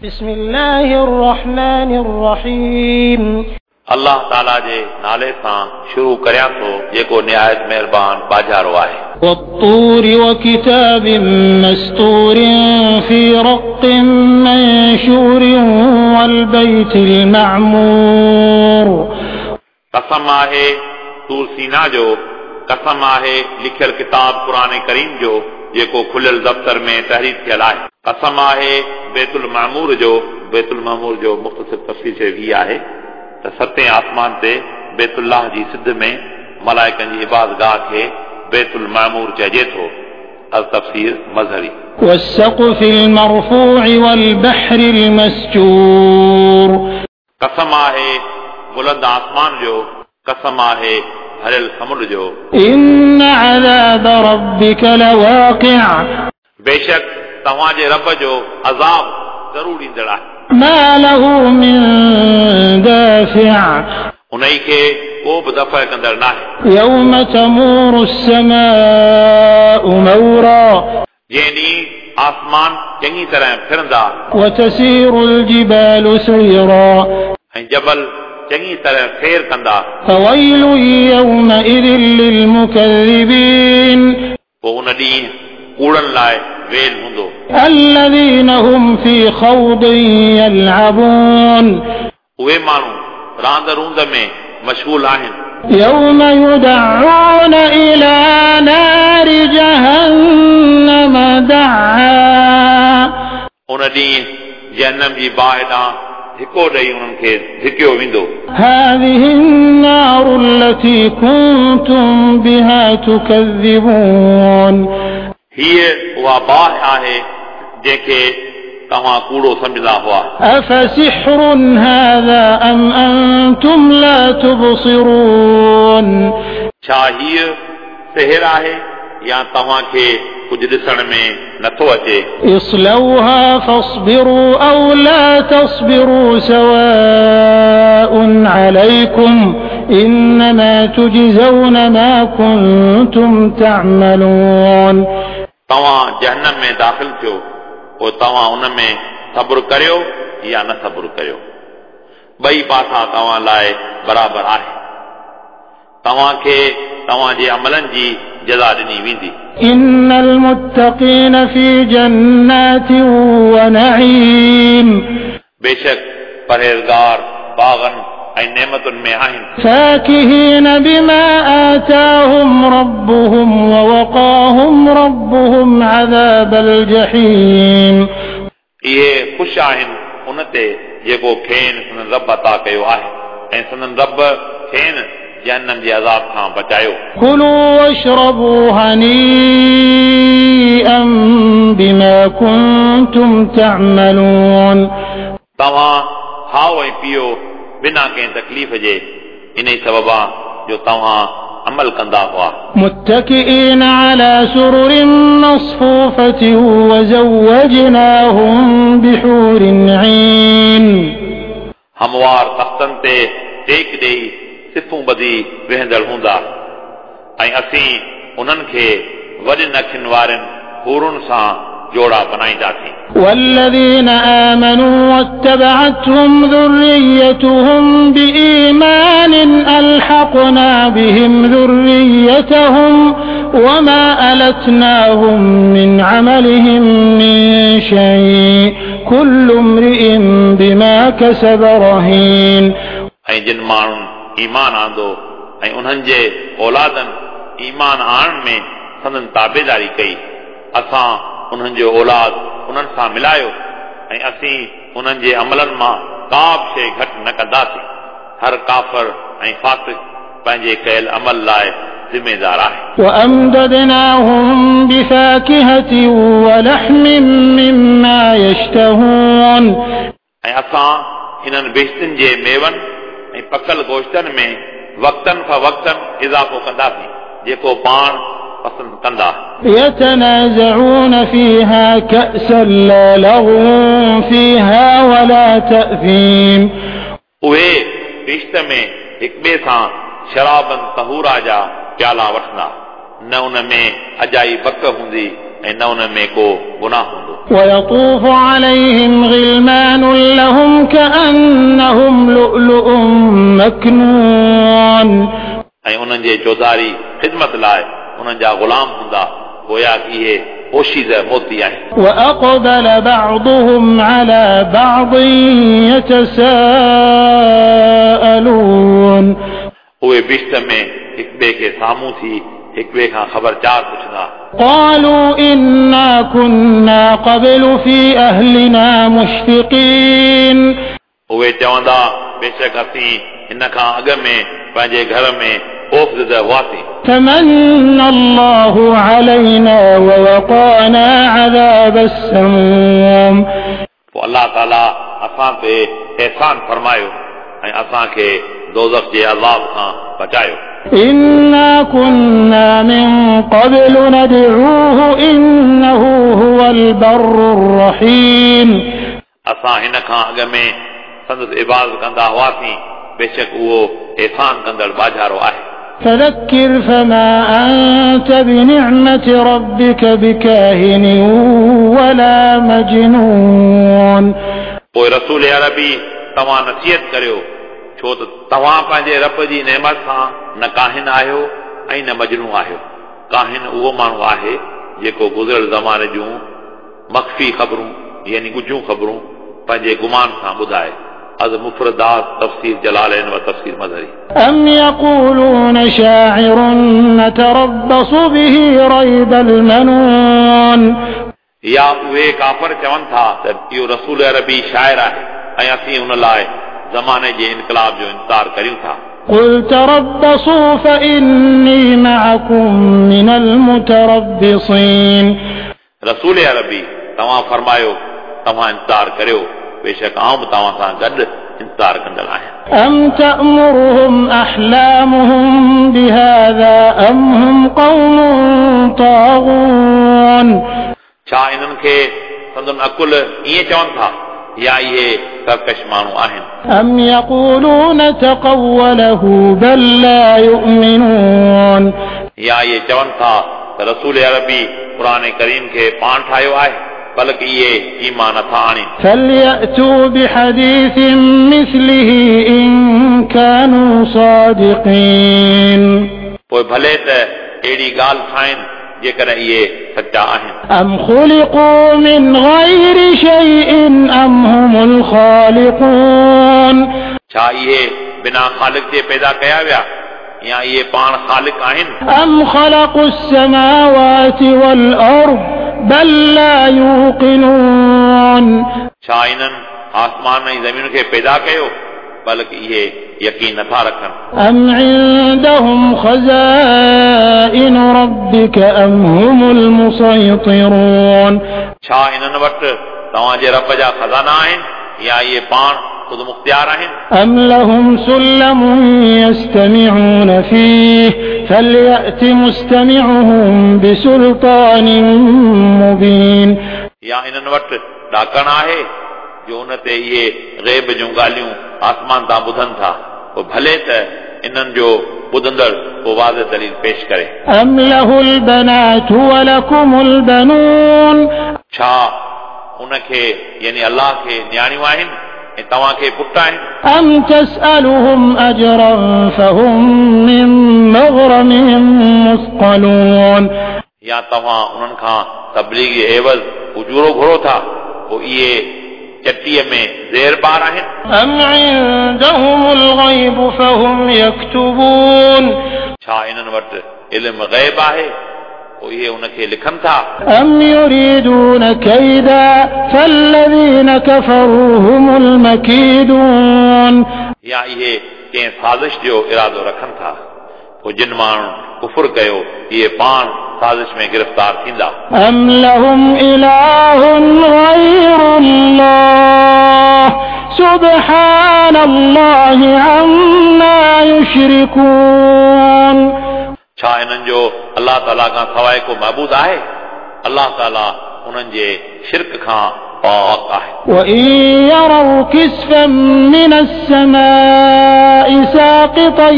بسم الله الرحمن الرحيم. अलाह ताला जे नाले सां शुरू करियां थो जेको निहायत महिरबान बाजारो आहे। والطور وكتاب مستور في رق منشور والبيت المعمور. कसम आहे तूर सीना जो, कसम आहे लिखियल किताब क़ुरान करीम जो जेको खुलियल दफ़्तर में तहरीर थियल आहे। कसम आहे बैतुल मामूर जो। बैतुल मामूर जो मुख़्तसिर तफ़सीर शरीफ़ हीअ आहे त सतें आसमान ते बैतुल्लाह जी सिध में मलाइकनि जी इबादगाह खे बैतुल मामूर चइजे थो। अल तफ़सीर मज़हरी। والسقف المرفوع والبحر المسجور. कसम आहे बुलंद आसमान जो, कसम आहे भरियल समुंड जो। إن عذاب ربك لواقع. बेशक तव्हांजे रब जो अज़ाब ज़रूर ईंदड़ आहे। ما له من دافع. उन्ही खे को बि दफ़ा कंदड़ नाहे। يوم تمور السماء مورا. जंहिं ॾींहुं आसमान चङी तरह फिरंदा। وتسير الجبال سيرا. ऐं जबल चङी तरह फेर कंदा। فويل يومئذ للمكذبين. पोइ उन ॾींहुं कूड़नि लाइ वेल हूंदो। الذين هم في خوض يلعبون. उहे माण्हू रांद रूंद में मशगूल आहिनि। يوم يدعون إلى نار جهنم دعا. उन ॾींहुं जहन्नम जी बाहि ॾांहुं धिको ॾेई उन्हनि खे धिकियो वेंदो। هذه النار التي كنتم بها تكذبون. हीअ उहा बाहि आहे जंहिंखे तव्हां कूड़ो सम्झंदा हुआ। أفسحر هذا أم أنتم لا تبصرون. छा हीअ सिहर आहे या तव्हांखे कुझु ॾिसण में नथो अचे? اصلوها فاصبروا أو لا تصبروا سواء عليكم إنما تجزون ما كنتم تعملون. तव्हां जहन्नम में दाख़िल थियो, पोइ तव्हां उन में सब्र करियो या न सब्र करियो, ॿई पासा तव्हां लाइ बराबरि आहे। तव्हांखे तव्हांजे अमलनि जी जज़ा ॾिनी वेंदी। إن المتقين في جنات ونعيم. बेशक परहेज़गार बाग़नि ऐं नेमतुनि में आहिनि। فاكهين بما آتاهم ربهم ووقاهم ربهم عذاب الجحيم. इहे ख़ुशि आहिनि उन ते जेको खेनि संदन रब अता कयो आहे ऐं संदन रब खेनि जहन्नम जे अज़ाब खां बचायो। كلوا واشربوا هنيئا بما كنتم تعملون. तव्हां खाओ ऐं पियो बिना कंहिं तकलीफ़ जे, इन ई सबबा जो तव्हां अमल कंदा हुआ। متكئين على سرر مصفوفة وزوجناهم بحور عين. हमवार तख़्तनि ते टेक ॾेई सिफूं ॿधी वेहंदड़ हूंदा ऐं असीं उन्हनि खे वॾियुनि अखियुनि वारनि हूरुनि सां जोड़ा बनाईंदासीं। والذين آمنوا واتبعتهم ذريتهم بإيمان ألحقنا بهم ذريتهم وما ألتناهم من عملهم من شيء كل امرئ بما كسب رهين. ऐं जिन माण्हुनि ईमान आंदो ऐं उन्हनि जे औलादनि ईमान आणण में संदन ताबेदारी कई, असां उन्हनि जो औलाद उन्हनि सां मिलायो ऐं असीं उन्हनि जे अमलनि मां का बि शइ घटि न कंदासीं। हर काफ़र ऐं फ़ासिक पंहिंजे कयल अमल लाइ ज़िम्मेदार आहे। وأمددناهم بفاكهة ولحم مما يشتهون. ऐं असां इन्हनि बेश्तनि जे मेवनि ऐं पकल गोश्तनि में वक़्तनि फ़वक़्तनि इज़ाफ़ो कंदासीं जेको पाण पसंदि कंदा। يتنازعون فيها كأسا لا لغو فيها ولا تأثيم. उहे बेश्त में हिक ॿिए सां शराबन तहूरा जा प्याला वठंदा, न उन में अजाई बक हूंदी ऐं न उन में को गुनाह हूंदो। ويطوف عليهم غلمان لؤلؤ مڪنون. ऐं उन्हनि जे चौधारी ख़िदमत लाइ उन्हनि जा ग़ुलाम हूंदा, गोया की इहे पोशीज़ मोती आहिनि। وأقبل بعضهم على بعض يتساءلون. उहे बिश्त में हिक ॿिए खे साम्हूं थी हिक ॿिए खां ख़बर चार पुछंदा। قالوا إنا كنا قبل في أهلنا مشفقين. उहे चवंदा बेशक असीं हिन खां अॻु में पंहिंजे घर में ख़ौफ़ हुआसीं। فمن الله علينا ووقانا عذاب السموم. पोइ अलाह ताला असां ते एहसान फरमायो ऐं असांखे दोज़ख जे अज़ाब खां बचायो। إنا كنا من قبل ندعوه إنه هو البر الرحيم. असां हिन खां अॻु में संदसि इबादत कंदा हुआसीं, बेशक उहो एहसान कंदड़ बाजारो आहे। فذكر فما أنت بنعمة ربك بكاهن ولا مجنون. पोइ रसूल अरबी तव्हां नसीहत करियो, छो त तव्हां पंहिंजे रब जी नेमत सां न काहिन आहियो ऐं न मजनू आहियो। काहिन उहो माण्हू आहे जेको गुज़िरियल ज़माने जूं मख़फ़ी ख़बरूं यानी ॻुझियूं ख़बरूं पंहिंजे गुमान सां ॿुधाए। अज़ मुफ़रदात तफ़सीर जलालैन व तफ़सीर मज़हरी। أم يقولون شاعر نتربص به ريب المنون. या उहे काफ़र चवनि था त इहो रसूल अरबी शाइर आहे ऐं असीं उन लाइ ज़माने जे इनकलाब जो इंतज़ार करियूं था। قل تربصوا فإني معكم من المتربصين. रसूल अरबी तव्हां फरमायो तव्हां इंतज़ार करियो, बेशक आउं बि तव्हां सां गॾु इंतज़ार कंदड़ आहियां। أم تأمرهم أحلامهم بهذا أم هم قوم طاغون. छा इन्हनि खे संदन अकुल ईअं चवनि था या इहे सरकश माण्हू आहिनि? أم يقولون تقوله بل لا يؤمنون. या इहे चवनि था त रसूल अरबी क़ुर करीम खे पाण ठाहियो आहे, बल्कि इहे ईमान नथा आणनि। فليأتوا بحديث مثله إن كانوا صادقين. पोइ भले त अहिड़ी ॻाल्हि ठाहिनि जेकॾहिं इहे सचा आहिनि। أم خلقوا من غير شيء أم هم الخالقون. छा इहे बिना ख़ालिक जे पैदा कया विया या इहे पाण ख़ालिक आहिनि? أم خلقوا السماوات والأرض بل لا يوقنون. छा इन्हनि आसमान ऐं ज़मीन खे पैदा कयो, बल्कि इहे यकीन नथा रखनि। أم عندهم خزائن ربك أم هم المسيطرون. छा इन्हनि वटि तव्हांजे रब जा ख़ज़ाना आहिनि या इहे पाण ख़ुदि मुख़्तियार आहिनि? أم لهم سلم يستمعون فيه فليأت مستمعهم بسلطان مبين. या इन्हनि वटि ॾाकण आहे जो उन ते इहे ग़ैब जूं ॻाल्हियूं आसमान तां ॿुधनि था, पोइ भले त इन्हनि जो ॿुधंदड़ को वाज़े दलील पेश करे। أم له البنات ولكم البنون. छा उनखे यानी अल्लाह खे नियाणियूं आहिनि ऐं तव्हांखे पुट आहिनि? أم تسألهم أجرا فهم من مغرم مثقلون. या तव्हां उन्हनि खां तबलीग जे एवज़ उजूरो घुरो था, पोइ इहे चटीअ में ज़ेर बार आहिनि? أم عندهم الغيب فهم يكتبون. छा इन्हनि वटि इल्म ग़ैब आहे, पोइ इहे उनखे लिखनि था? أم يريدون كيدا فالذين كفروا هم المكيدون. या इहे कंहिं साज़िश जो इरादो रखनि था, पोइ जिन माण्हुनि कुफुर कयो इहे पाण साज़िश में गिरफ़्तार थींदा। أم لهم إله غير الله سبحان الله عما يشركون. छा इन्हनि जो अलाह ताला खां सवाइ को महबूद आहे? अलाह ताला उन्हनि जे शिरक खां पाक आहे। وإن يروا كسفا من السماء ساقطا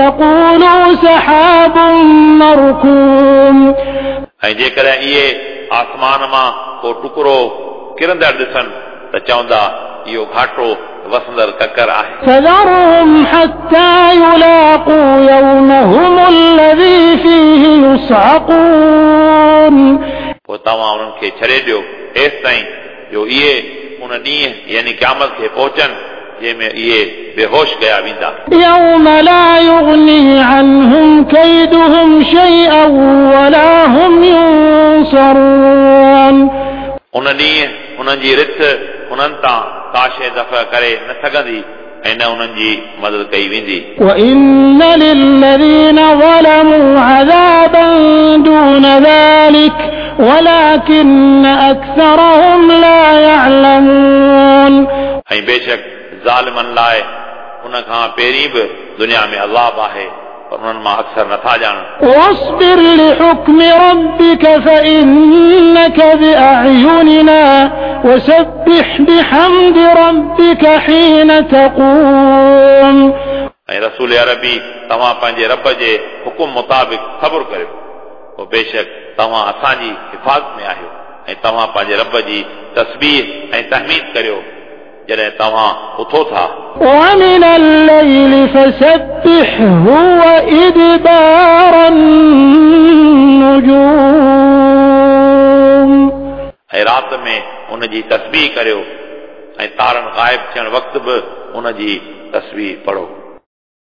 يقولوا سحاب مركوم. ऐं जेकॾहिं इहे आसमान मां को टुकड़ो किरंदड़ ॾिसनि त चवंदा इहो घाटो वसंदड़ ककर आहे। فذرهم حتى يلاقوا يومهم الذي فيه يصعقون। पोइ तव्हां उन्हनि खे छॾे ॾियो एसि ताईं जो इहे उन ॾींहुं यानी क़यामत खे पहुचनि जंहिंमें इहे बेहोश कया वेंदा। يوم لا يغني عنهم كيدهم شيئا ولا هم ينصرون। उन ॾींहुं उन्हनि जी रिथ उन्हनि तां का शइ दफ़ा करे न सघंदी ऐं न उन्हनि जी मदद कई वेंदी। وإن للذين ظلموا عذابا دون ذلك ولكن أكثرهم لا يعلمون। ऐं बेशक ज़ालिमनि लाइ उन खां पहिरीं बि दुनिया में अज़ाब आहे पर उन्हनि मां अक्सर नथा ॼाणनि। واصبر لحكم ربك فإنك بأعيننا وسبح بحمد ربك حين تقوم। ऐं रसूल अरबी तव्हां पंहिंजे रब जे हुकुम मुताबिक़ सब्र करियो, पोइ बेशक तव्हां असांजी हिफ़ाज़त में आहियो ऐं तव्हां पंहिंजे रब जी तस्बीह ऐं तहमीद करियो जॾहिं तव्हां उथो था। ومن الليل فسبحه وإدبار النجوم। ऐं राति में उन जी तस्बीह करियो ऐं तारनि ग़ाइब थियण वक़्तु बि उन जी तस्बीह पढ़ो।